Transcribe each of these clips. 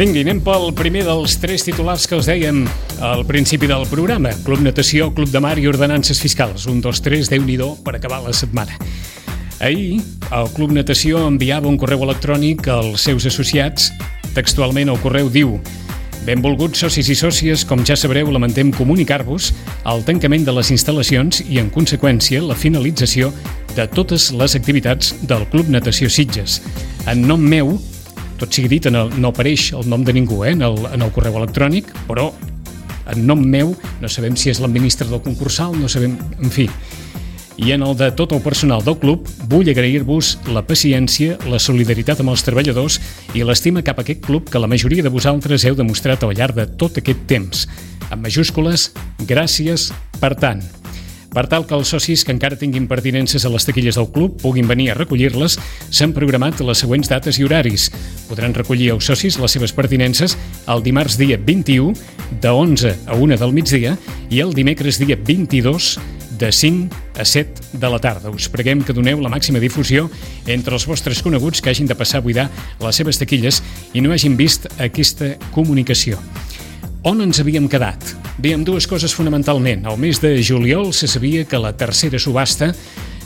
Vingui, anem pel primer dels tres titulars que us dèiem al principi del programa. Club Natació, Club de Mar i Ordenances Fiscals. 1, 2, 3, Déu-n'hi-do per acabar la setmana. Ahir, el Club Natació enviava un correu electrònic als seus associats. Textualment, el correu diu: benvolguts socis i sòcies, com ja sabreu, lamentem comunicar-vos el tancament de les instal·lacions i, en conseqüència, la finalització de totes les activitats del Club Natació Sitges. En nom meu, tot sigui dit, no apareix el nom de ningú en el correu electrònic, però en nom meu, no sabem si és l'administrador concursal, no sabem, en fi. I en el de tot el personal del club, vull agrair-vos la paciència, la solidaritat amb els treballadors i l'estima cap a aquest club que la majoria de vosaltres heu demostrat al llarg de tot aquest temps. En majúscules, gràcies per tant. Per tal que els socis que encara tinguin pertinences a les taquilles del club puguin venir a recollir-les, s'han programat les següents dates i horaris. Podran recollir els socis les seves pertinences el dimarts dia 21 de 11 a 1 del migdia i el dimecres dia 22 de 5 a 7 de la tarda. Us preguem que doneu la màxima difusió entre els vostres coneguts que hagin de passar a buidar les seves taquilles i no hagin vist aquesta comunicació. On ens havíem quedat? Bé, amb dues coses fonamentalment. Al mes de juliol se sabia que la tercera subhasta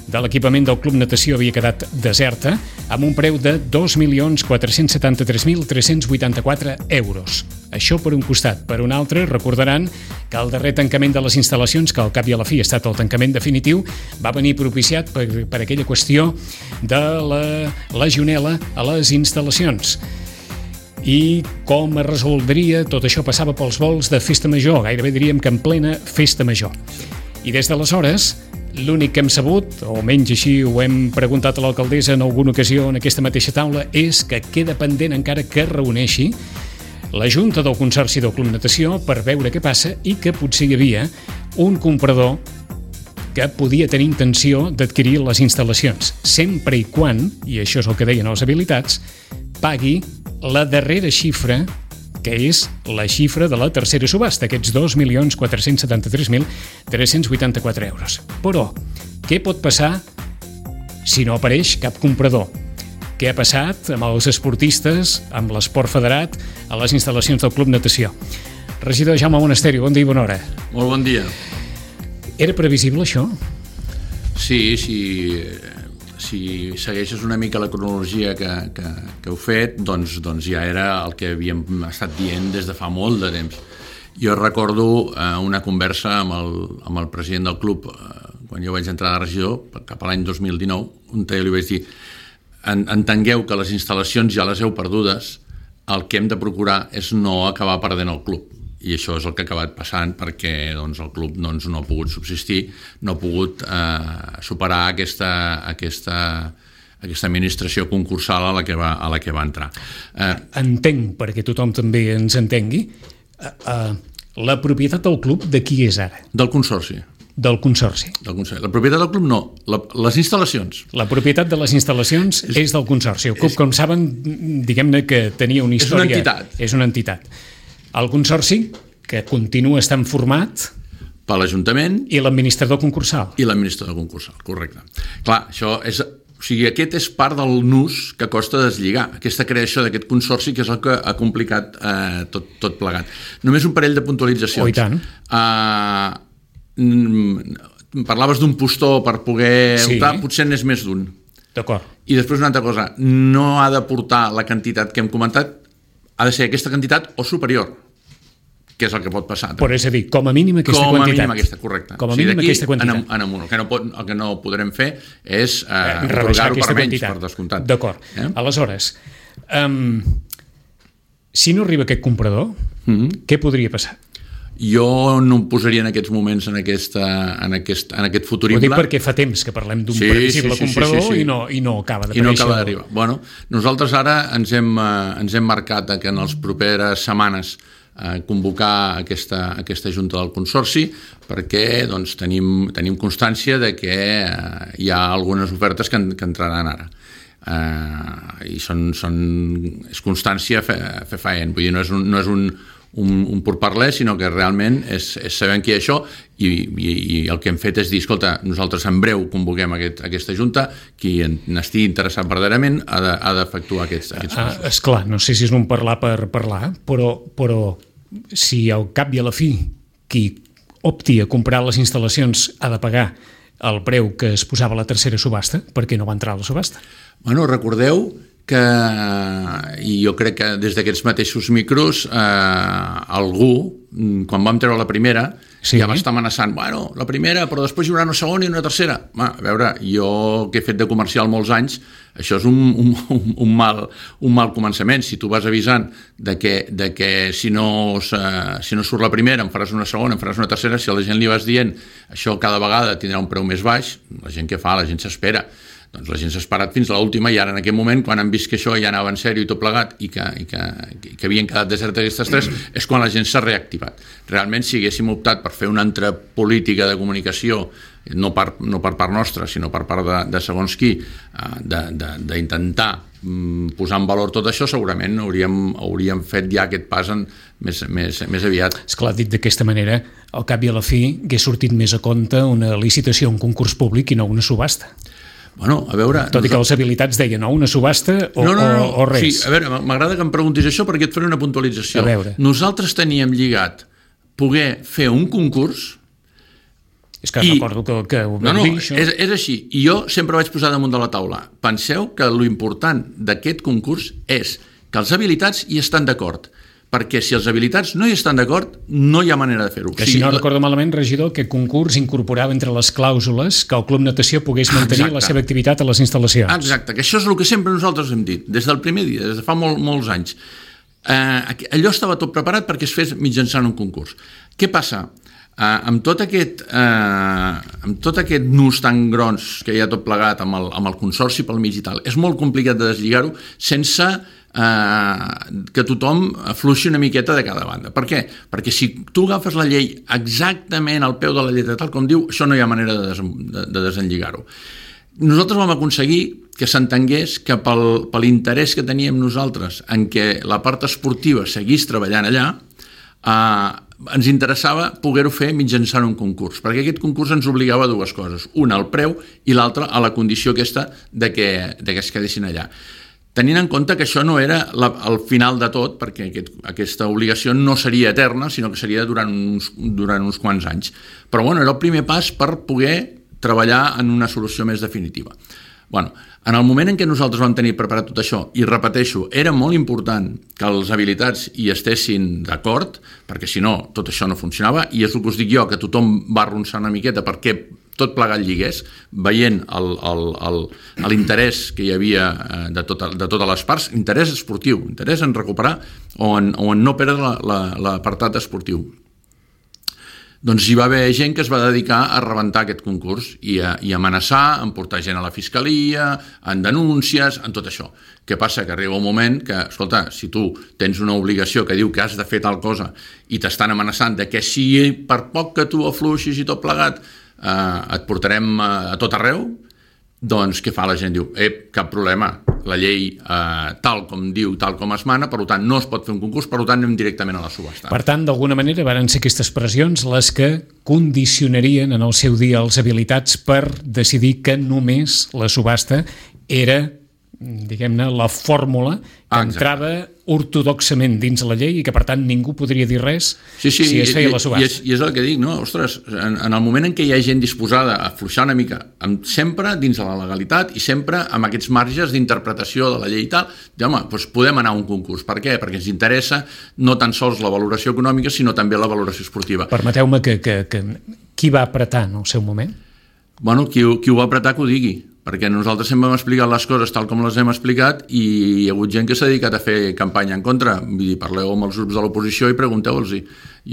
de l'equipament del Club Natació havia quedat deserta amb un preu de 2.473.384 euros. Això per un costat. Per un altre, recordaran que el darrer tancament de les instal·lacions, que al cap i a la fi ha estat el tancament definitiu, va venir propiciat per aquella qüestió de la legionel·la a les instal·lacions. I com es resoldria, tot això passava pels vols de festa major, gairebé diríem que en plena festa major. I des d'aleshores, l'únic que hem sabut, o almenys així ho hem preguntat a l'alcaldessa en alguna ocasió en aquesta mateixa taula, és que queda pendent encara que es reuneixi la Junta del Consorci del Club Natació per veure què passa i que potser hi havia un comprador que podia tenir intenció d'adquirir les instal·lacions, sempre i quan, i això és el que deien els habilitats, pagui la darrera xifra, que és la xifra de la tercera subhasta, aquests 2.473.384 euros. Però, què pot passar si no apareix cap comprador? Què ha passat amb els esportistes, amb l'esport federat, a les instal·lacions del Club Natació? Regidor Jaume Monasterio, bon dia i bona hora. Molt bon dia. Era previsible això? Sí, si segueixes una mica la cronologia que heu fet, doncs ja era el que havíem estat dient des de fa molt de temps. Jo recordo una conversa amb el president del club quan jo vaig entrar de regidor, cap a l'any 2019, on jo li vaig dir: entengueu que les instal·lacions ja les heu perdudes, el que hem de procurar és no acabar perdent el club. I això és el que ha acabat passant perquè el club no ha pogut subsistir, no ha pogut superar aquesta administració concursal a la que va entrar. Entenc, perquè tothom també ens entengui, la propietat del club de qui és ara? Del Consorci. Del Consorci. La propietat del club no, les instal·lacions. La propietat de les instal·lacions és del Consorci. El club, com saben, diguem-ne que tenia una història... És una entitat. El Consorci, que continua estant format... Per l'Ajuntament... I l'administrador concursal. I l'administrador concursal, correcte. Clar, això és... O sigui, aquest és part del nus que costa deslligar, aquesta creació d'aquest consorci, que és el que ha complicat tot plegat. Només un parell de puntualitzacions. Oh, i tant. Parlaves d'un postor per poder optar, potser n'és més d'un. D'acord. I després una altra cosa, no ha de portar la quantitat que hem comentat, ha de ser aquesta quantitat o superior, que és el que pot passar. Però és a dir, com a mínim aquesta quantitat. Com a mínim aquesta, correcte. Com a mínim aquesta quantitat. El que no podrem fer és rebaixar aquesta quantitat. Per descomptat. D'acord. Aleshores, si no arriba aquest comprador, què podria passar? Jo no em posaria en aquests moments en aquest futurible. Ho dic perquè fa temps que parlem d'un previsible comprador i no acaba d'aparèixer. I no acaba d'arribar. Bueno, nosaltres ara ens hem marcat que en les properes setmanes convocar aquesta Junta del Consorci perquè tenim constància de que hi ha algunes ofertes que entraran ara. I és constància fefaent, vull dir, no és un pourparler, sinó que realment és sabent què és això i el que hem fet és dir, escolta, nosaltres en breu convoquem aquesta Junta, qui n'estigui interessat verdaderament ha d'efectuar aquests passos. Esclar, no sé si és un parlar per parlar, però si al cap i a la fi qui opti a comprar les instal·lacions ha de pagar el preu que es posava a la tercera subhasta, per què no va entrar a la subhasta? Bueno, recordeu que, i jo crec que des d'aquests mateixos micros, algú, quan vam treure la primera, ja va estar amenaçant, bueno, la primera, però després hi haurà una segona i una tercera. A veure, jo que he fet de comercial molts anys, això és un mal començament. Si tu vas avisant de que si no surt la primera em faràs una segona, em faràs una tercera, si a la gent li vas dient això cada vegada tindrà un preu més baix, la gent què fa? La gent s'espera. Doncs la gent s'ha esperat fins a l'última i ara en aquest moment, quan han vist que això ja anava en sèrio i tot plegat i que havien quedat desertes aquestes tres, és quan la gent s'ha reactivat. Realment, si haguéssim optat per fer una altra política de comunicació, no per part nostra, sinó per part de segons qui, d'intentar posar en valor tot això, segurament hauríem fet ja aquest pas més aviat. Esclar, dit d'aquesta manera, al cap i a la fi hagués sortit més a compte una licitació, un concurs públic i no una subhasta. Bueno, a veure... Tot i que les habilitats deien o una subhasta o res. Sí, a veure, m'agrada que em preguntis això perquè et faré una puntualització. A veure. Nosaltres teníem lligat poder fer un concurs... És que recordo que ho vam dir, això. És així. I jo sempre vaig posar damunt de la taula. Penseu que l'important d'aquest concurs és que els habilitats hi estan d'acord. Perquè si els habilitats no hi estan d'acord, no hi ha manera de fer-ho. Que si no recordo malament, regidor, que concurs incorporava entre les clàusules que el Club Natació pogués mantenir la seva activitat a les instal·lacions. Exacte, que això és el que sempre nosaltres hem dit, des del primer dia, des de fa molts anys. Allò estava tot preparat perquè es fes mitjançant un concurs. Què passa? Amb tot aquest nus tan gros que hi ha tot plegat amb el consorci pel mig i tal, és molt complicat de deslligar-ho sense que tothom afluixi una miqueta de cada banda. Per què? Perquè si tu agafes la llei exactament al peu de la lletra tal com diu, això no hi ha manera de desenlligar-ho. Nosaltres vam aconseguir que s'entengués que per l'interès que teníem nosaltres en què la part esportiva seguís treballant allà, ens interessava poder-ho fer mitjançant un concurs, perquè aquest concurs ens obligava a dues coses, una al preu i l'altra a la condició aquesta de que es quedessin allà. Tenint en compte que això no era el final de tot, perquè aquesta obligació no seria eterna, sinó que seria durant uns quants anys. Però bueno, era el primer pas per poder treballar en una solució més definitiva. Bueno, en el moment en què nosaltres vam tenir preparat tot això, i repeteixo, era molt important que els habilitats hi estessin d'acord, perquè si no, tot això no funcionava, i és el que us dic jo, que tothom va arronsar una miqueta perquè tot plegat lligués, veient l'interès que hi havia de totes les parts, interès esportiu, interès en recuperar o en no perdre l'apartat esportiu. Doncs hi va haver gent que es va dedicar a rebentar aquest concurs i a amenaçar, a portar gent a la fiscalia, en denúncies, en tot això. Què passa? Que arriba un moment que, escolta, si tu tens una obligació que diu que has de fer tal cosa i t'estan amenaçant de que si per poc que tu afluixis i tot plegat et portarem a tot arreu, doncs què fa la gent? Diu, cap problema, la llei tal com diu, tal com es mana, per tant no es pot fer un concurs, per tant anem directament a la subhasta. Per tant, d'alguna manera varen ser aquestes pressions les que condicionarien en el seu dia els habilitats per decidir que només la subhasta era, diguem-ne, la fórmula que entrava ortodoxament dins la llei i que, per tant, ningú podria dir res si es feia la subhasta. I és el que dic, no? Ostres, en el moment en què hi ha gent disposada a afluixar una mica, sempre dins de la legalitat i sempre amb aquests marges d'interpretació de la llei i tal, home, doncs podem anar a un concurs. Per què? Perquè ens interessa no tan sols la valoració econòmica, sinó també la valoració esportiva. Permeteu-me que qui va apretar en el seu moment? Bueno, qui ho va apretar que ho digui, perquè nosaltres sempre hem explicat les coses tal com les hem explicat i hi ha hagut gent que s'ha dedicat a fer campanya en contra. Vull dir, parleu amb els grups de l'oposició i pregunteu-los-hi.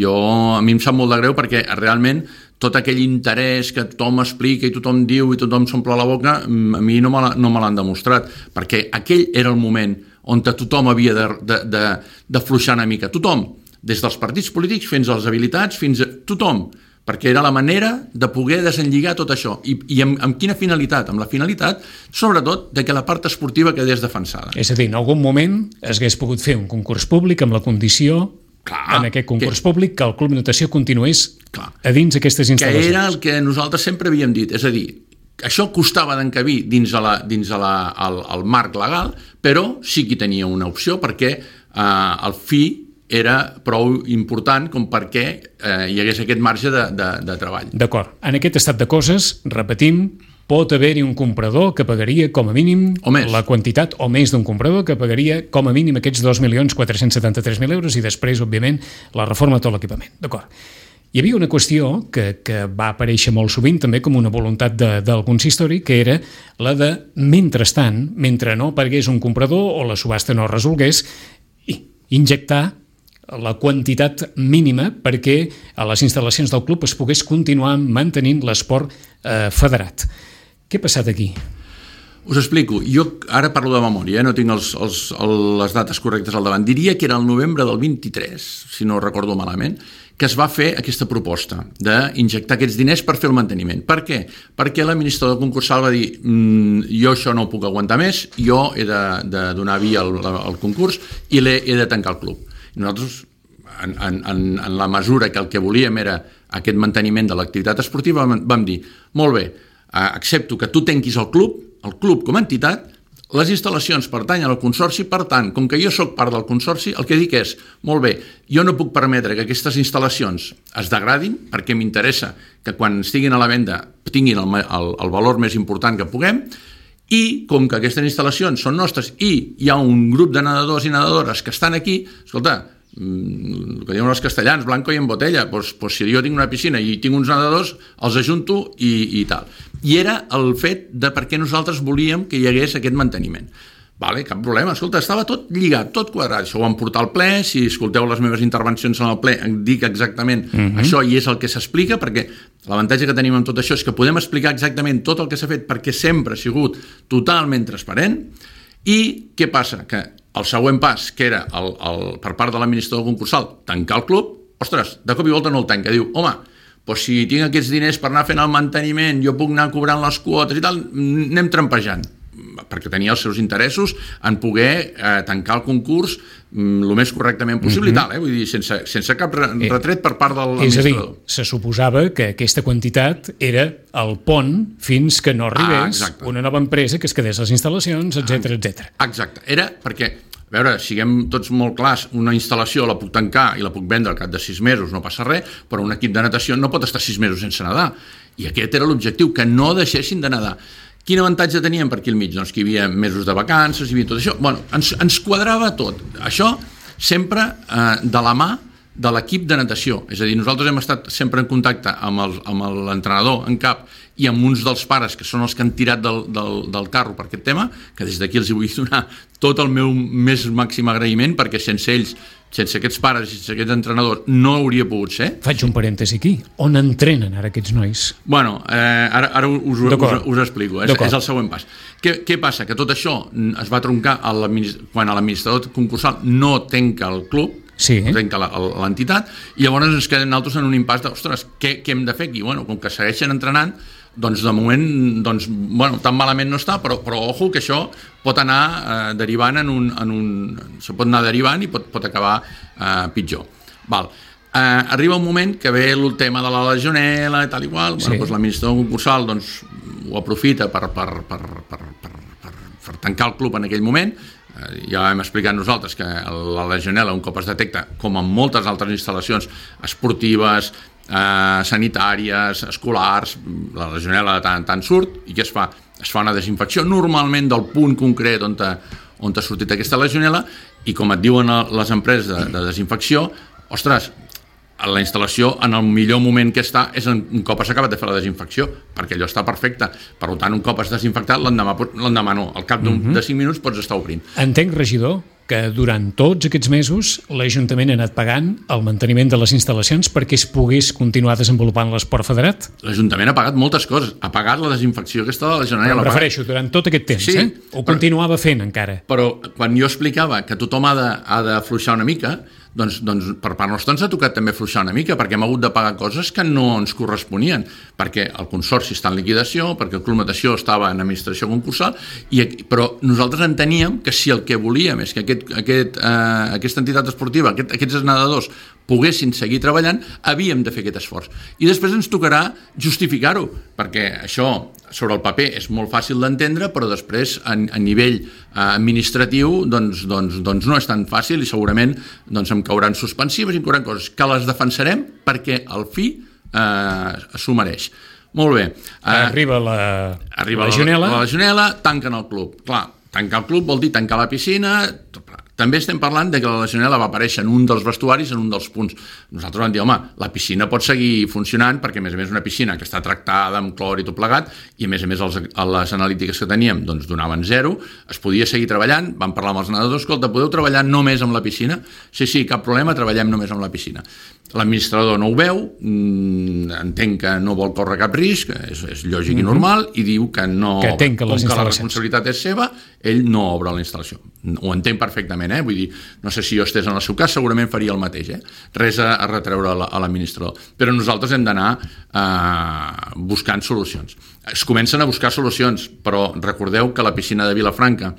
A mi em sap molt de greu perquè realment tot aquell interès que tothom explica i tothom diu i tothom s'omple la boca, a mi no me l'han demostrat, perquè aquell era el moment on tothom havia d'afluixar una mica. Tothom, des dels partits polítics fins als habilitats, fins a tothom, perquè era la manera de poder desenlligar tot això. I amb quina finalitat? Amb la finalitat, sobretot, de que la part esportiva quedés defensada. És a dir, en algun moment es hagués pogut fer un concurs públic amb la condició en aquest concurs públic que el Club Natació continués a dins aquestes instal·lacions. Que era el que nosaltres sempre havíem dit, és a dir, això costava d'encabir dins el marc legal, però sí que tenia una opció perquè el fi era prou important com perquè hi hagués aquest marge de treball. D'acord. En aquest estat de coses, repetim, pot haver-hi un comprador que pagaria com a mínim la quantitat, o més d'un comprador que pagaria com a mínim aquests 2.473.000 euros i després, òbviament, la reforma de tot l'equipament. D'acord. Hi havia una qüestió que va aparèixer molt sovint també com una voluntat del consistori, que era la de, mentrestant, mentre no aparegués un comprador o la subhasta no resolgués, injectar la quantitat mínima perquè a les instal·lacions del club es pogués continuar mantenint l'esport federat. Què ha passat aquí? Us explico. Jo ara parlo de memòria, no tinc les dates correctes al davant. Diria que era el novembre del 23, si no recordo malament, que es va fer aquesta proposta d'injectar aquests diners per fer el manteniment. Per què? Perquè l'administrador concursal va dir jo això no ho puc aguantar més, jo he de donar via al concurs i he de tancar el club. I nosaltres, en la mesura que el que volíem era aquest manteniment de l'activitat esportiva, vam dir, molt bé, accepto que tu tanquis el club com a entitat, les instal·lacions pertanyen al consorci, per tant, com que jo sóc part del consorci, el que dic és, molt bé, jo no puc permetre que aquestes instal·lacions es degradin, perquè m'interessa que quan estiguin a la venda tinguin el valor més important que puguem, i com que aquestes instal·lacions són nostres i hi ha un grup de nedadors i nedadores que estan aquí, escolta, el que diuen els castellans, blanco i en botella, doncs si jo tinc una piscina i tinc uns nedadors, els ajunto i tal. I era el fet de per què nosaltres volíem que hi hagués aquest manteniment. Vale, cap problema, escolta, estava tot lligat, tot quadrat, això ho vam portar al ple, si escolteu les meves intervencions en el ple, dic exactament això i és el que s'explica, perquè l'avantatge que tenim amb tot això és que podem explicar exactament tot el que s'ha fet perquè sempre ha sigut totalment transparent. I què passa? Que el següent pas, que era per part de l'administrador concursal tancar el club, ostres, de cop i volta no el tanca, diu, home, doncs si tinc aquests diners per anar fent el manteniment, jo puc anar cobrant les quotes i tal, anem trampejant, perquè tenia els seus interessos en poder tancar el concurs el més correctament possible i tal, vull dir, sense cap retret per part de l'administrador. És a dir, se suposava que aquesta quantitat era el pont fins que no arribés una nova empresa que es quedés les instal·lacions, etc. Exacte, era perquè, a veure, siguem tots molt clars, una instal·lació la puc tancar i la puc vendre al cap de 6 mesos, no passa res, però un equip de natació no pot estar 6 mesos sense nedar, i aquest era l'objectiu, que no deixessin de nedar. Quin avantatge teníem per aquí al mig? Doncs que hi havia mesos de vacances, hi havia tot això. Bueno, ens quadrava tot. Això sempre de la mà de l'equip de natació. És a dir, nosaltres hem estat sempre en contacte amb l'entrenador en cap i amb uns dels pares que són els que han tirat del carro per aquest tema, que des d'aquí els vull donar tot el meu més màxim agraïment, perquè sense ells, sense aquests pares i sense aquests entrenadors, no hauria pogut ser. Faig un parèntesi aquí. On entrenen ara aquests nois? Bueno, ara us explico. És el següent pas. Què passa? Que tot això es va troncar quan l'administrador concursal no tanca el club, no tanca l'entitat, i llavors ens quedem nosaltres en un impàs de, ostres, què hem de fer aquí? Bueno, com que segueixen entrenant, doncs de moment, tan malament no està, però ojo que això pot anar derivant se pot anar derivant i pot acabar pitjor. Arriba un moment que ve el tema de la legionela i tal i qual, l'administrador concursal ho aprofita per tancar el club en aquell moment. Ja hem explicat nosaltres que la legionela, un cop es detecta, com en moltes altres instal·lacions esportives, sanitàries, escolars, la legionela de tant en tant surt, i què es fa? Es fa una desinfecció normalment del punt concret on ha sortit aquesta legionela, i com et diuen les empreses de desinfecció, ostres, la instal·lació en el millor moment que està és un cop has acabat de fer la desinfecció, perquè allò està perfecte. Per tant, un cop has desinfectat, l'endemà no, al cap de 5 minuts pots estar obrint. Entenc, regidor, que durant tots aquests mesos l'Ajuntament ha anat pagant el manteniment de les instal·lacions perquè es pogués continuar desenvolupant l'esport federat? L'Ajuntament ha pagat moltes coses. Ha pagat la desinfecció aquesta de la Generalitat. Em refereixo, durant tot aquest temps, Ho continuava fent encara. Però quan jo explicava que tothom ha d'afluixar una mica, doncs per part nostra ens ha tocat també afluixar una mica, perquè hem hagut de pagar coses que no ens corresponien, perquè el consorci està en liquidació, perquè el Club Natació estava en administració concursal, però nosaltres enteníem que si el que volíem és que aquesta entitat esportiva, aquests nedadors poguessin seguir treballant, havíem de fer aquest esforç. I després ens tocarà justificar-ho, perquè això sobre el paper és molt fàcil d'entendre, però després a nivell administratiu doncs no és tan fàcil i segurament em cauran suspensives i em cauran coses que les defensarem perquè al fi s'ho mereix. Molt bé. Arriba la legionela. La legionela, tanquen el club. Clar, tancar el club vol dir tancar la piscina. També estem parlant de que la legionela va aparèixer en un dels vestuaris, en un dels punts. Nosaltres vam dir, home, la piscina pot seguir funcionant perquè, a més una piscina que està tractada amb clor i tot plegat, i a més les analítiques que teníem donaven 0, es podia seguir treballant, vam parlar amb els nedadors, escolta, podeu treballar només amb la piscina? Sí, cap problema, treballem només amb la piscina. L'administrador no ho veu, entenc que no vol córrer cap risc, és lògic i normal, i diu que no, com que la responsabilitat és seva, ell no obre la instal·lació. Ho entenc perfectament, vull dir, no sé si jo estés en el seu cas, segurament faria el mateix, res a retreure a l'administrador, però nosaltres hem d'anar buscant solucions. Es comencen a buscar solucions, però recordeu que la piscina de Vilafranca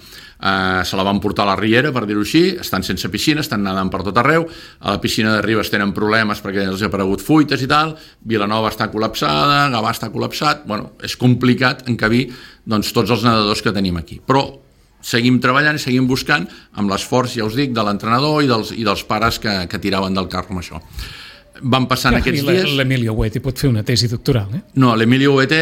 se la van portar a la Riera, per dir-ho així, estan sense piscina, estan nedant per tot arreu, a la piscina de Ribes tenen problemes perquè els ha aparegut fuites i tal, Vilanova està col·lapsada, Gavà està col·lapsat, és complicat encabir tots els nedadors que tenim aquí, però seguim treballant i seguim buscant amb l'esforç, ja us dic, de l'entrenador i dels pares que tiraven del carro amb això. Van passant aquests dies... L'Emilio Huete pot fer una tesi doctoral, No, l'Emilio Huete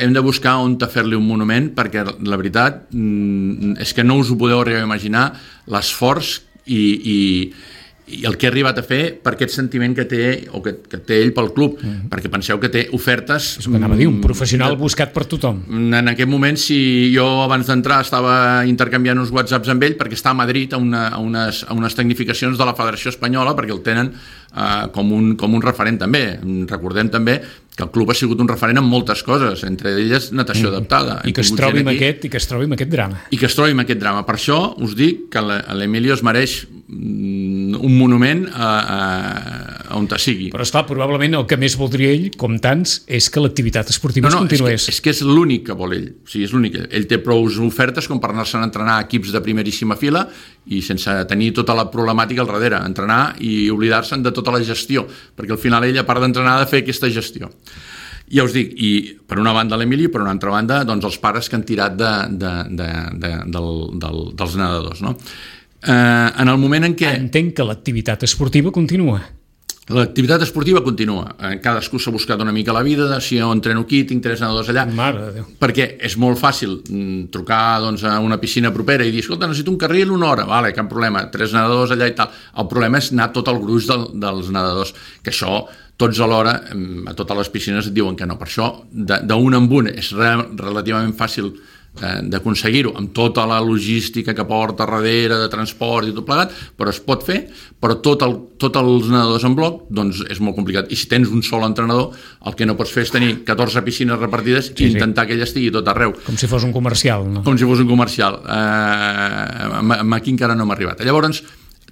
hem de buscar on fer-li un monument, perquè la veritat és que no us ho podeu arribar a imaginar l'esforç i el que ha arribat a fer per aquest sentiment que té o que té ell pel club, perquè penseu que té ofertes... És que anava a dir, un professional buscat per tothom. En aquest moment, si jo abans d'entrar estava intercanviant uns whatsapps amb ell perquè està a Madrid a unes tecnificacions de la Federació Espanyola, perquè el tenen com un referent també. Recordem també que el club ha sigut un referent en moltes coses, entre elles natació adaptada. I que es trobi amb aquest drama. I que es trobi amb aquest drama. Per això us dic que l'Emilio es mereix un monument on sigui. Però esclar, probablement el que més voldria ell, com tants, és que l'activitat esportiva es continués. És que és l'únic que vol ell. O sigui, és l'únic. Ell té prou ofertes com per anar-se'n a entrenar a equips de primeríssima fila i sense tenir tota la problemàtica al darrere, entrenar i oblidar-se'n de tota la gestió, perquè al final ell, a part d'entrenar, ha de fer aquesta gestió. Ja us dic, i per una banda l'Emili, per una altra banda, els pares que han tirat dels nedadors, no? En el moment en què... Entenc que l'activitat esportiva continua. L'activitat esportiva continua. Cadascú s'ha buscat una mica la vida de si jo entreno aquí, tinc 3 nedadors allà. Mare de Déu. Perquè és molt fàcil trucar a una piscina propera i dir, escolta, necessito un carril una hora. Vale, cap problema, 3 nedadors allà i tal. El problema és anar tot el gruix dels nedadors, que això tots alhora, a totes les piscines et diuen que no. Per això, d'un en un és relativament fàcil d'aconseguir-ho amb tota la logística que porta darrere de transport i tot plegat, però es pot fer, però tots els nedadors en bloc doncs és molt complicat, i si tens un sol entrenador el que no pots fer és tenir 14 piscines repartides i intentar que ella estigui tot arreu, com si fos un comercial, no? Com si fos un comercial. Aquí encara no hem arribat. Llavors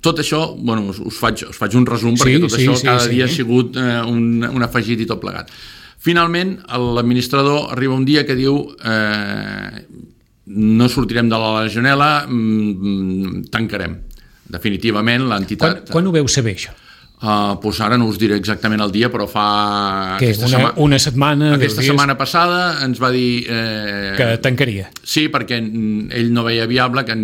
tot això, us faig un resum perquè tot això cada dia ha sigut un afegit i tot plegat. Finalment, l'administrador arriba un dia que diu no sortirem de la legionela, tancarem. Definitivament, l'entitat... Quan ho veu saber, això? Doncs ara no us diré exactament el dia, però fa... Una setmana... Aquesta setmana passada ens va dir... Que tancaria. Sí, perquè ell no veia viable que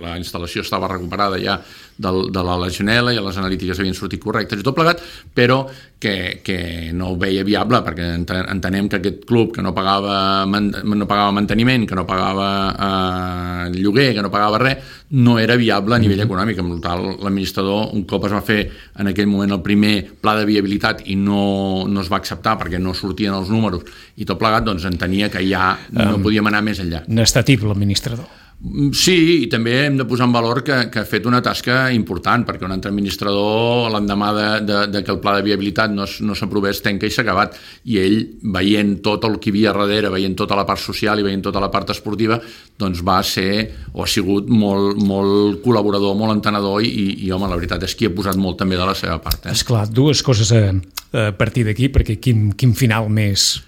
la instal·lació estava recuperada ja de la legionela i les analítiques havien sortit correctes i tot plegat, però que no ho veia viable, perquè entenem que aquest club que no pagava manteniment, que no pagava lloguer, que no pagava res, no era viable a nivell econòmic. Amb tal, l'administrador, un cop es va fer en aquell moment el primer pla de viabilitat i no es va acceptar perquè no sortien els números i tot plegat, doncs entenia que ja no podíem anar més enllà. N'està tip l'administrador. Sí, i també hem de posar en valor que ha fet una tasca important, perquè un altre administrador, l'endemà de que el pla de viabilitat no s'aprovés, tanca i s'ha acabat. I ell, veient tot el que hi havia darrere, veient tota la part social i veient tota la part esportiva, doncs va ser, o ha sigut molt col·laborador, molt entenedor i home, la veritat és que hi ha posat molt també de la seva part. Esclar, dues coses a partir d'aquí, perquè quin final més...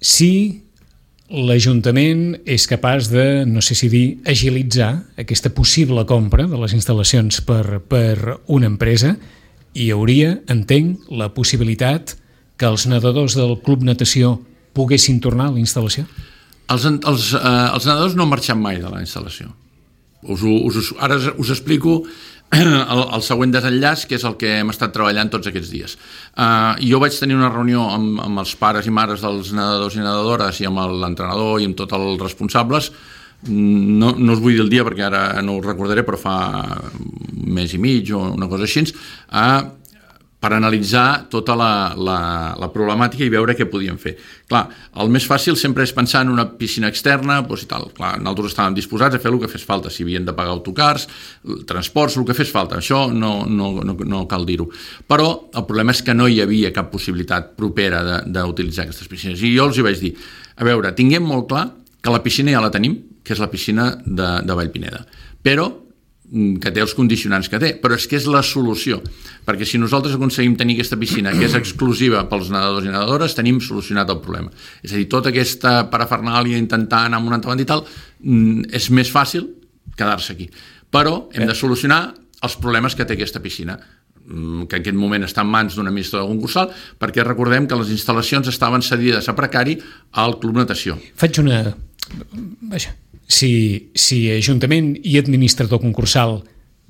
Si l'Ajuntament és capaç de, no sé si dir, agilitzar aquesta possible compra de les instal·lacions per una empresa, hi hauria, entenc, la possibilitat que els nedadors del Club Natació poguessin tornar a la instal·lació? Els nedadors no han marxat mai de la instal·lació. Ara us explico el següent desenllaç, que és el que hem estat treballant tots aquests dies. Jo vaig tenir una reunió amb els pares i mares dels nedadors i nedadores i amb l'entrenador i amb tots els responsables. No us vull dir el dia perquè ara no ho recordaré, però fa un mes i mig o una cosa així, per analitzar tota la problemàtica i veure què podíem fer. Clar, el més fàcil sempre és pensar en una piscina externa, doncs i tal. Clar, nosaltres estàvem disposats a fer el que fes falta, si havien de pagar autocars, transports, el que fes falta. Això no cal dir-ho. Però el problema és que no hi havia cap possibilitat propera d'utilitzar aquestes piscines. I jo els hi vaig dir, a veure, tinguem molt clar que la piscina ja la tenim, que és la piscina de Vallpineda. Però que té els condicionants que té, però és que és la solució, perquè si nosaltres aconseguim tenir aquesta piscina que és exclusiva pels nedadors i nedadores, tenim solucionat el problema. És a dir, tota aquesta parafernàlia intentar anar amb una altra banda i tal, és més fàcil quedar-se aquí. Però hem de solucionar els problemes que té aquesta piscina, que en aquest moment està en mans d'un administrador concursal, perquè recordem que les instal·lacions estaven cedides a precari al Club Natació. Faig una... Vaja... Si Ajuntament i administrador concursal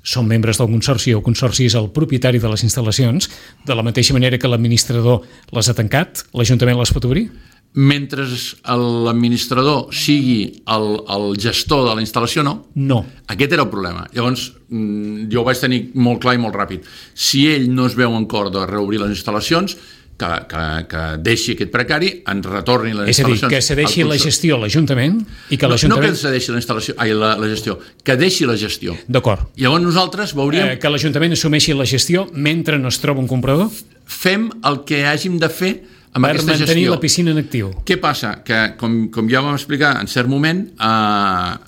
són membres del consorci o el consorci és el propietari de les instal·lacions, de la mateixa manera que l'administrador les ha tancat, l'Ajuntament les pot obrir? Mentre l'administrador sigui el gestor de la instal·lació, no. No. Aquest era el problema. Llavors, jo ho vaig tenir molt clar i molt ràpid. Si ell no es veu en cor de reobrir les instal·lacions, que deixi aquest precari, ens retorni les instal·lacions. És a dir, que cedeixi la gestió a l'Ajuntament i que l'Ajuntament... No que cedeixi la gestió, que deixi la gestió. D'acord. Llavors nosaltres veuríem... Que l'Ajuntament assumeixi la gestió mentre no es troba un comprador? Fem el que hàgim de fer amb aquesta gestió. Per mantenir la piscina en actiu. Què passa? Que, com ja vam explicar en cert moment,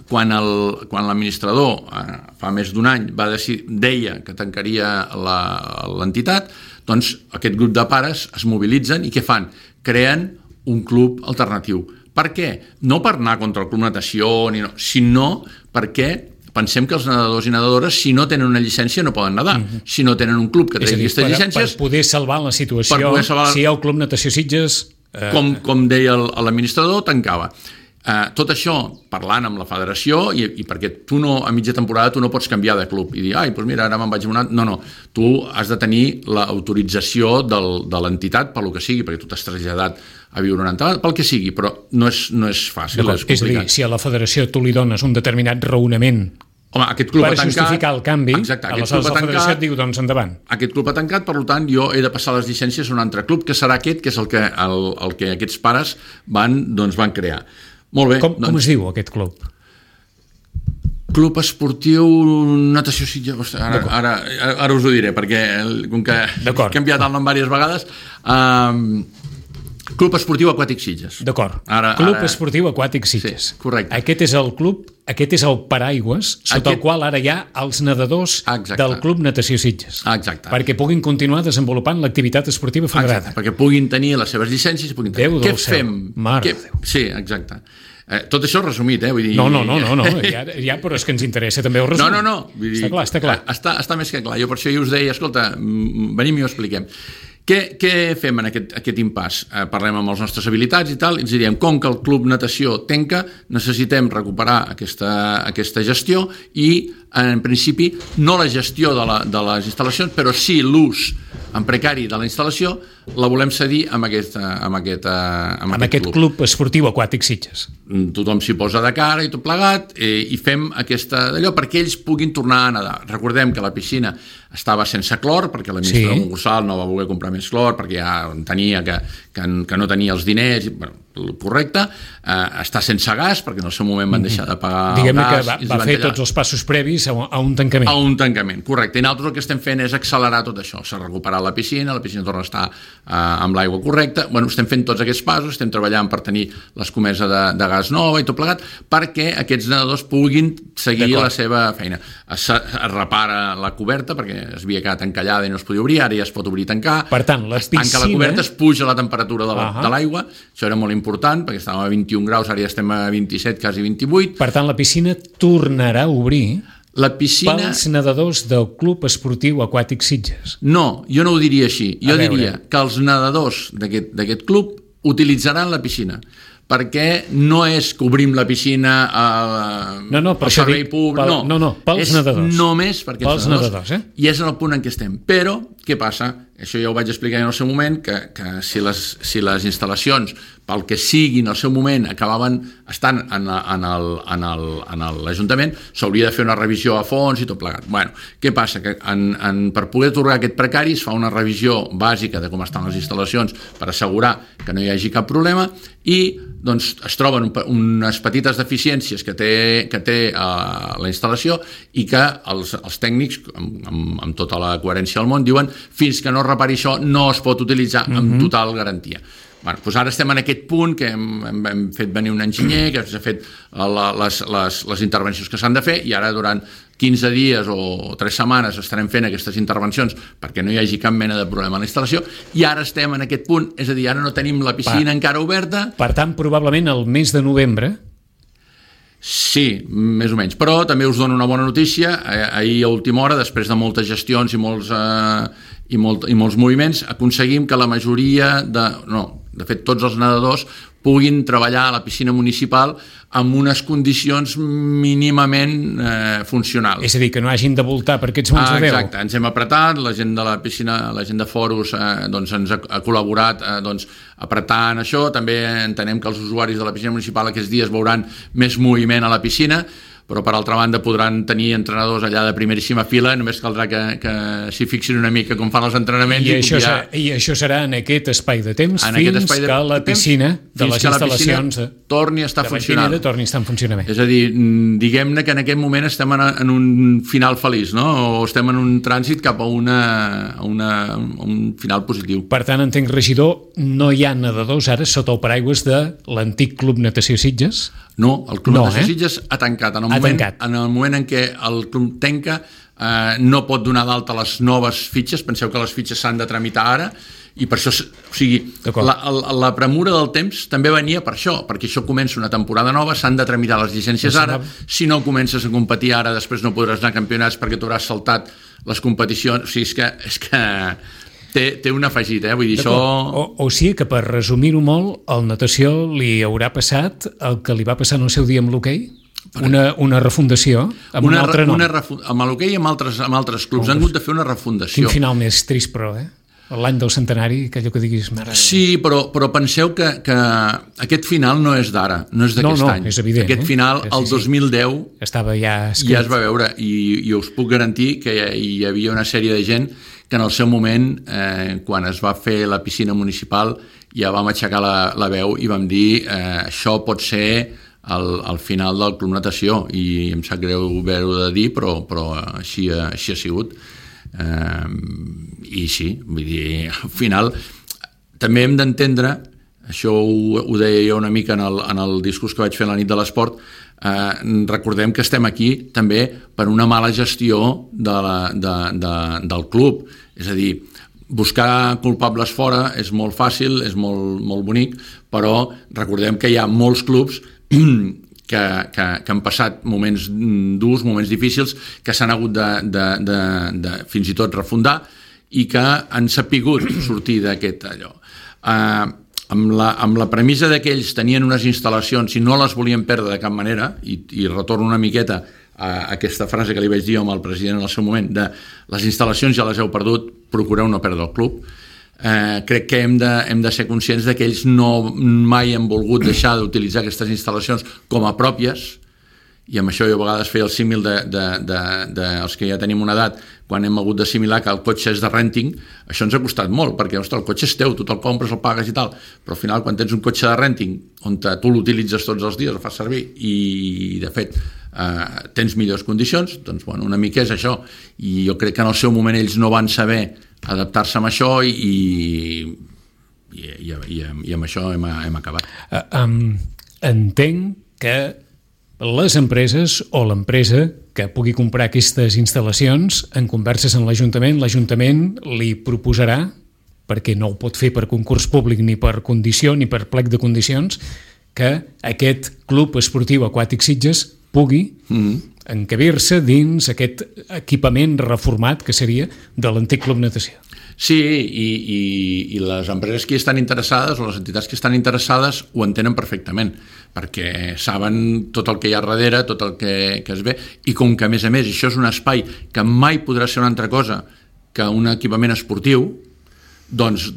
quan l'administrador fa més d'un any deia que tancaria l'entitat, doncs aquest grup de pares es mobilitzen i què fan? Creen un club alternatiu. Per què? No per anar contra el Club Natació, sinó perquè pensem que els nedadors i nedadores, si no tenen una llicència, no poden nedar. Si no tenen un club que tregui aquestes llicències... Per poder salvar la situació, si el Club Natació Sitges... Com deia l'administrador, tancava. Tot això, parlant amb la federació, i perquè tu a mitja temporada tu no pots canviar de club i dir, doncs mira, ara me'n vaig a un altre... No, tu has de tenir l'autorització de l'entitat pel que sigui, perquè tu t'has traslladat a viure un altre, pel que sigui, però no és fàcil, és complicat. És a dir, si a la federació tu li dones un determinat raonament per justificar el canvi, aleshores la federació et diu, doncs endavant. Aquest club ha tancat, per tant, jo he de passar les llicències a un altre club, que serà aquest, que és el que aquests pares van crear. Molt bé. Com es diu aquest club? Club Esportiu Natació Sitges. Ara us ho diré, perquè com que he canviat el nom diverses vegades... Club Esportiu Aquàtic Sitges. D'acord. Club Esportiu Aquàtic Sitges. Sí, correcte. Aquest és el club, aquest és el paraigües sota el qual ara hi ha els nedadors del Club Natació Sitges. Exacte. Perquè puguin continuar desenvolupant l'activitat esportiva federada. Perquè puguin tenir les seves llicències. Déu del cel. Mare de Déu. Sí, exacte. Tot això resumit, vull dir... No, ja, però és que ens interessa també el resum. No. Està clar. Està més que clar. Jo per això us deia, escolta, venim i ho expliquem. Què fem en aquest impàs? Parlem amb els nostres habilitats i tal, i ens diem, com que el Club Natació tanca, necessitem recuperar aquesta gestió i, en principi, no la gestió de les instal·lacions, però sí l'ús en precari de la instal·lació, la volem cedir amb aquest club esportiu aquàtic Sitges. Tothom s'hi posa de cara i tot plegat, i fem d'allò perquè ells puguin tornar a nedar. Recordem que la piscina estava sense clor, perquè l'administrador concursal no va voler comprar més clor, perquè ja entenia que que no tenia els diners, correcte, està sense gas, perquè en el seu moment van deixar de pagar Diguem-ne el gas. que va fer tots els passos previs a un tancament. A un tancament, correcte. I nosaltres el que estem fent és accelerar tot això. S'ha recuperat la piscina torna a estar amb l'aigua correcta. Bueno, estem fent tots aquests passos, estem treballant per tenir l'escomesa de gas nova i tot plegat, perquè aquests nedadors puguin seguir la seva feina. Es repara la coberta, perquè es havia quedat encallada i no es podia obrir, ara ja es pot obrir i tancar. Per tant, la piscina... Es tanca la coberta, es puja la temperatura de l'aigua, això era molt important, perquè estàvem a 21 graus, ara ja estem a 27, quasi 28. Per tant, la piscina tornarà a obrir pels nedadors del Club Esportiu Aquàtic Sitges. No, jo no ho diria així. Jo diria que els nedadors d'aquest club utilitzaran la piscina, perquè no és que obrim la piscina al servei públic. No, pels nedadors. És només perquè els nedadors. I és en el punt en què estem. Però, què passa? Això ja ho vaig explicar en el seu moment, que si les instal·lacions, pel que sigui en el seu moment, acabaven estant en l'Ajuntament, s'hauria de fer una revisió a fons i tot plegat. Bueno, què passa? Que per poder atorgar aquest precari es fa una revisió bàsica de com estan les instal·lacions per assegurar que no hi hagi cap problema i doncs, es troben unes petites deficiències que té la instal·lació i que els tècnics, amb tota la coherència del món, diuen fins que no repari això no es pot utilitzar amb total garantia. Bueno, doncs ara estem en aquest punt que hem fet venir un enginyer que s'ha fet les intervencions que s'han de fer i ara durant 15 dies o 3 setmanes estarem fent aquestes intervencions perquè no hi hagi cap mena de problema a la instal·lació i ara estem en aquest punt, és a dir, ara no tenim la piscina encara oberta. Per tant, probablement el mes de novembre. Sí, més o menys, però també us dono una bona notícia. Ahir a última hora, després de moltes gestions i molts moviments, aconseguim que la majoria de fet tots els nedadors puguin treballar a la piscina municipal amb unes condicions mínimament funcionals. És a dir, que no hagin de voltar per aquests monts de Déu. Exacte, ens hem apretat, la gent de la piscina, la gent de Foros doncs ens ha col·laborat apretant això, també entenem que els usuaris de la piscina municipal aquests dies veuran més moviment a la piscina, però per altra banda podran tenir entrenadors allà de primeríssima fila, només caldrà que s'hi fixin una mica com fan els entrenaments. I això serà en aquest espai de temps fins que la piscina de les instal·lacions torni a estar funcionant. Torni a estar en funcionament. És a dir, diguem-ne que en aquest moment estem en un final feliç, no? O estem en un trànsit cap a un final positiu. Per tant, entenc, regidor, no hi ha nedadors ara sota el paraigües de l'antic Club Natació Sitges? No, el Club Natació Sitges ha tancat. En el moment en què el club tanca no pot donar d'alta les noves fitxes, penseu que les fitxes s'han de tramitar ara i per això, o sigui, la premura del temps també venia per això, perquè això comença una temporada nova, s'han de tramitar les llicències ara, si no comences a competir ara després no podràs anar a campionats perquè t'hauràs saltat les competicions, o sigui, és que té un afegit, vull dir, això... O sigui que, per resumir-ho molt, al natació li haurà passat el que li va passar en el seu dia amb l'hoquei? Una refundació amb un altre nom. Amb l'hoquei i amb altres clubs han hagut de fer una refundació. Quin final més trist, però, l'any del centenari, que allò que diguis... Sí, però penseu que aquest final no és d'ara, no és d'aquest any. No, és evident. Aquest final, el 2010, estava ja escrit. Ja es va veure, i us puc garantir que hi havia una sèrie de gent que en el seu moment, quan es va fer la piscina municipal, ja vam aixecar la veu i vam dir això pot ser el final del Club Natació, i em sap greu haver-ho de dir, però així ha sigut. I sí, vull dir, al final també hem d'entendre, això ho deia jo una mica en el discurs que vaig fer la nit de l'esport, recordem que estem aquí també per una mala gestió del club, és a dir, buscar culpables fora és molt fàcil, és molt bonic, però recordem que hi ha molts clubs que han passat moments durs, moments difícils, que s'han hagut de fins i tot refundar i que han sapigut sortir d'aquest allò. Amb la premissa que ells tenien unes instal·lacions i no les volien perdre de cap manera, i retorno una miqueta a aquesta frase que li vaig dir amb el president en el seu moment, de les instal·lacions ja les heu perdut, procureu no perdre el club. Crec que hem de ser conscients que ells mai han volgut deixar d'utilitzar aquestes instal·lacions com a pròpies i amb això jo a vegades feia el símil dels que ja tenim una edat, quan hem hagut d'assimilar que el cotxe és de renting, això ens ha costat molt, perquè el cotxe és teu, tu te'l compres, el pagues i tal, però al final quan tens un cotxe de renting on tu l'utilitzes tots els dies, el fas servir i de fet tens millors condicions, doncs bueno, una mica és això, i jo crec que en el seu moment ells no van saber adaptar-se amb això i amb això hem acabat. Entenc que les empreses o l'empresa que pugui comprar aquestes instal·lacions, en converses amb l'Ajuntament li proposarà, perquè no ho pot fer per concurs públic ni per condició ni per plec de condicions, que aquest club esportiu aquàtic Sitges pugui encabir-se dins aquest equipament reformat que seria de l'antic Club Natació. Sí, i les empreses que estan interessades o les entitats que estan interessades ho entenen perfectament, perquè saben tot el que hi ha darrere, tot el que es ve, i com que a més això és un espai que mai podrà ser una altra cosa que un equipament esportiu, doncs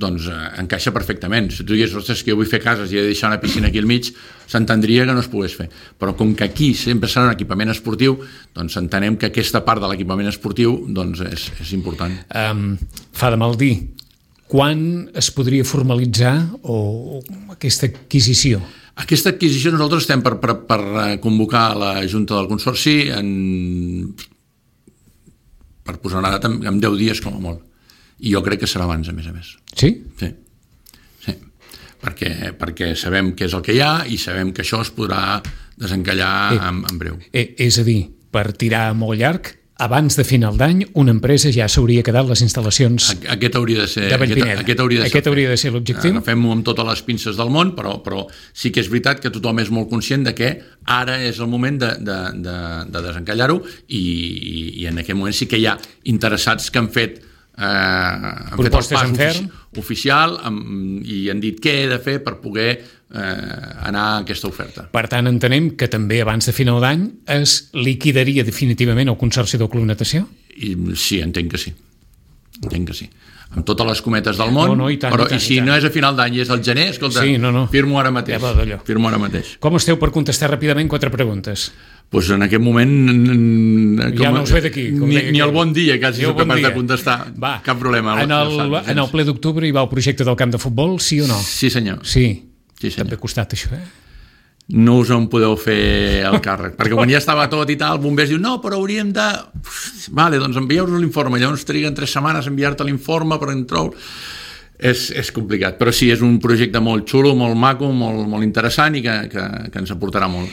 encaixa perfectament. Si tu digués, ostres, que jo vull fer cases i he de deixar una piscina aquí al mig, s'entendria que no es pogués fer. Però com que aquí sempre serà un equipament esportiu, doncs entenem que aquesta part de l'equipament esportiu doncs és important. Fa de mal dir, quan es podria formalitzar aquesta adquisició? Aquesta adquisició nosaltres estem per convocar la Junta del Consorci per posar una data en 10 dies com a molt. I jo crec que serà abans, a més. Sí? Sí. Perquè sabem què és el que hi ha i sabem que això es podrà desencallar en breu. És a dir, per tirar molt llarg, abans de final d'any, una empresa ja s'hauria quedat les instal·lacions Aquest hauria de ser l'objectiu. Agafem-ho amb totes les pinces del món, però sí que és veritat que tothom és molt conscient de que ara és el moment de desencallar-ho i en aquest moment sí que hi ha interessats que han fet propostes en ferm oficial i han dit què he de fer per poder anar a aquesta oferta. Per tant, entenem que també abans de final d'any es liquidaria definitivament el Consorci del Club Natació? Sí, entenc que sí. Amb totes les cometes del món, però si no és a final d'any i és al gener, escolta, firmo ara mateix. Com esteu per contestar ràpidament 4 preguntes? Doncs en aquest moment ja no us ve d'aquí ni el bon dia quasi sóc capaç de contestar. Cap problema. En el ple d'octubre hi va el projecte del camp de futbol, sí o no? Sí senyor. També ha costat això, No us en podeu fer el càrrec, perquè quan ja estava tot i tal, bombers diu, no, però hauríem de... Vale, doncs envieu-nos l'informe, llavors triguen 3 setmanes a enviar-te l'informe per entrar... És complicat, però sí, és un projecte molt xulo, molt maco, molt interessant i que ens aportarà molt.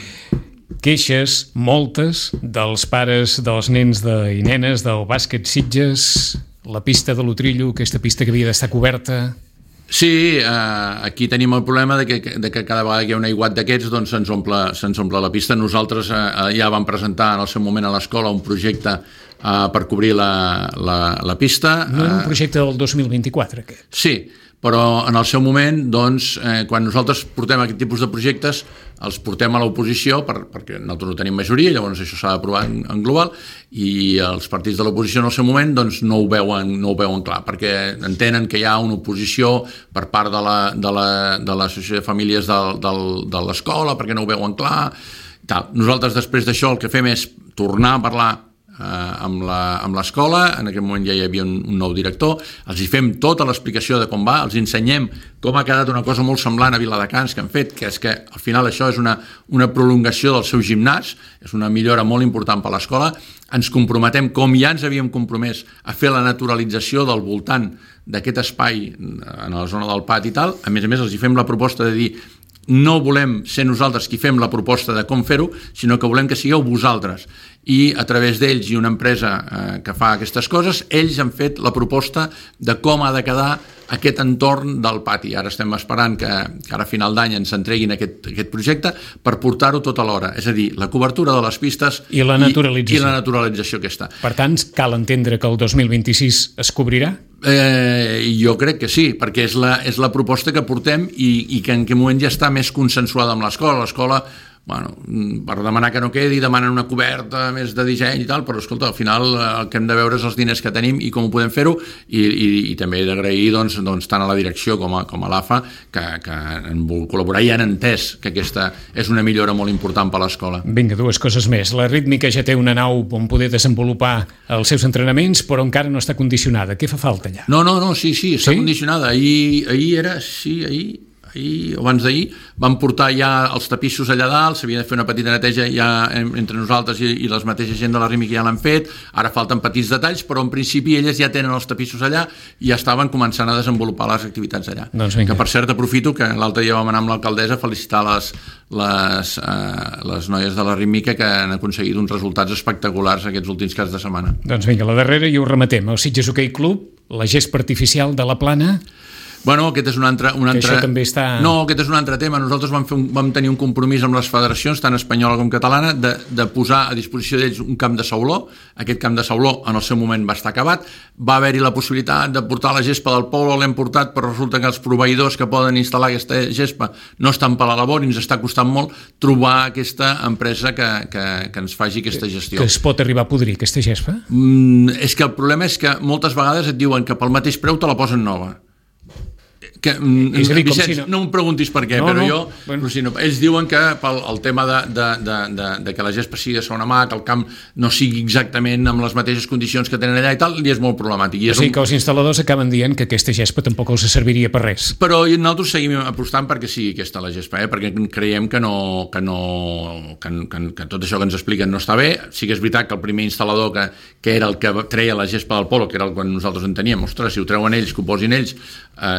Queixes, moltes, dels pares dels nens i nenes del bàsquet Sitges, la pista de l'Utrillo, aquesta pista que havia d'estar coberta... Sí, aquí tenim el problema de que cada vegada que hi ha un aiguat d'aquests doncs se'ns omple la pista. Nosaltres ja vam presentar en el seu moment a l'escola un projecte per cobrir la pista. No era un projecte del 2024, aquest? Sí, però en el seu moment, doncs, quan nosaltres portem aquest tipus de projectes, els portem a l'oposició, perquè nosaltres no tenim majoria, llavors això s'ha d'aprovar en global, i els partits de l'oposició en el seu moment doncs, no ho veuen clar, perquè entenen que hi ha una oposició per part de l'associació de famílies de l'escola, perquè no ho veuen clar. Nosaltres després d'això el que fem és tornar a parlar amb l'escola, en aquell moment ja hi havia un nou director, els hi fem tota l'explicació de com va, els ensenyem com ha quedat una cosa molt semblant a Viladecans que han fet, que és que al final això és una prolongació del seu gimnàs, és una millora molt important per a l'escola, ens comprometem, com ja ens havíem compromès, a fer la naturalització del voltant d'aquest espai en la zona del pati i tal, a més els hi fem la proposta de dir no volem ser nosaltres qui fem la proposta de com fer-ho, sinó que volem que sigueu vosaltres. I a través d'ells i una empresa que fa aquestes coses, ells han fet la proposta de com ha de quedar aquest entorn del pati. Ara estem esperant que ara a final d'any ens entreguin aquest projecte per portar-ho tot alhora. És a dir, la cobertura de les pistes i la naturalització aquesta. Per tant, cal entendre que el 2026 es cobrirà? Jo crec que sí, perquè és la proposta que portem i que en aquest moment ja està més consensuada amb l'escola. L'escola bueno, per demanar que no quedi, demanen una coberta més de disseny i tal, però escolta, al final el que hem de veure és els diners que tenim i com ho podem fer-ho, i també he d'agrair doncs, tant a la direcció com a l'AFA que han volgut col·laborar i han entès que aquesta és una millora molt important per a l'escola. Vinga, dues coses més. La Rítmica ja té una nau on poder desenvolupar els seus entrenaments, però encara no està condicionada. Què fa falta allà? No, sí, està condicionada. Ahir o abans d'ahir vam portar ja els tapissos allà dalt, s'havia de fer una petita neteja ja entre nosaltres i les mateixes gent de la Rítmica ja l'han fet, ara falten petits detalls, però en principi elles ja tenen els tapissos allà i ja estaven començant a desenvolupar les activitats allà. Doncs que per cert aprofito que l'altre dia vam anar amb l'alcaldessa a felicitar les noies de la Rítmica que han aconseguit uns resultats espectaculars aquests últims caps de setmana. Doncs vinga, la darrera i ho rematem. El Sitges Hoquei Club, la gespa artificial de la Plana. Bueno, aquest és un altre... Que això també està... No, aquest és un altre tema. Nosaltres vam tenir un compromís amb les federacions, tant espanyola com catalana, de posar a disposició d'ells un camp de sauló. Aquest camp de sauló en el seu moment va estar acabat. Va haver-hi la possibilitat de portar la gespa del Polo, l'hem portat, però resulta que els proveïdors que poden instal·lar aquesta gespa no estan per la labor i ens està costant molt trobar aquesta empresa que ens faci aquesta gestió. Que es pot arribar a podrir, aquesta gespa? És que el problema és que moltes vegades et diuen que pel mateix preu te la posen nova. Vicenç, no em preguntis per què, però ells diuen que pel tema de que la gespa sigui de segona mà, que el camp no sigui exactament amb les mateixes condicions que tenen allà i tal, li és molt problemàtic. O sigui que els instal·ladors acaben dient que aquesta gespa tampoc els serviria per res. Però nosaltres seguim apostant perquè sigui aquesta la gespa, perquè creiem que tot això que ens expliquen no està bé. Sí que és veritat que el primer instal·lador que era el que treia la gespa del Polo, que era el que nosaltres en teníem, ostres, si ho treuen ells, que ho posin ells,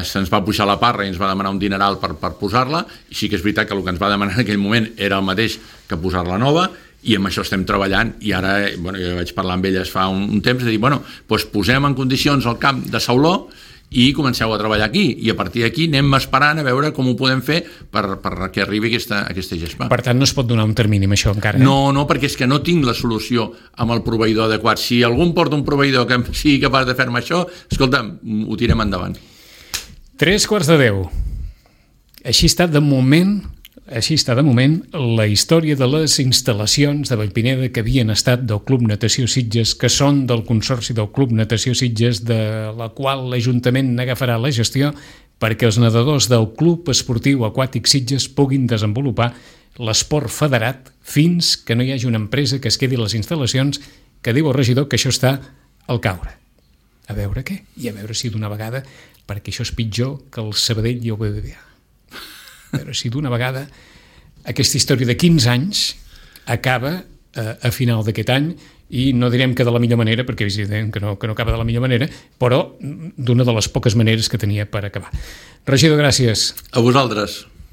se'ns va pujar la parra i ens va demanar un dineral per posar-la, i sí que és veritat que el que ens va demanar en aquell moment era el mateix que posar-la nova, i amb això estem treballant, i ara jo vaig parlar amb elles fa un temps de dir, doncs posem en condicions el camp de sauló i comenceu a treballar aquí, i a partir d'aquí anem esperant a veure com ho podem fer per que arribi aquesta gespa. Per tant, no es pot donar un termini amb això encara? No, perquè és que no tinc la solució amb el proveïdor adequat. Si algú em porta un proveïdor que sigui capaç de fer-me això, escolta'm, ho tirem endavant. 3:45. Així està de moment la història de les instal·lacions de Vallpineda que havien estat del Club Natació Sitges, que són del Consorci del Club Natació Sitges, de la qual l'Ajuntament n'agafarà la gestió perquè els nedadors del Club Esportiu Aquàtic Sitges puguin desenvolupar l'esport federat fins que no hi hagi una empresa que es quedi a les instal·lacions, que diu el regidor que això està al caure. A veure què? I a veure si d'una vegada, perquè això és pitjor que el Sabadell i el BBVA. A veure si d'una vegada aquesta història de 15 anys acaba a final d'aquest any, i no direm que de la millor manera, perquè és evident que no acaba de la millor manera, però d'una de les poques maneres que tenia per acabar. Regidor, gràcies. A vosaltres.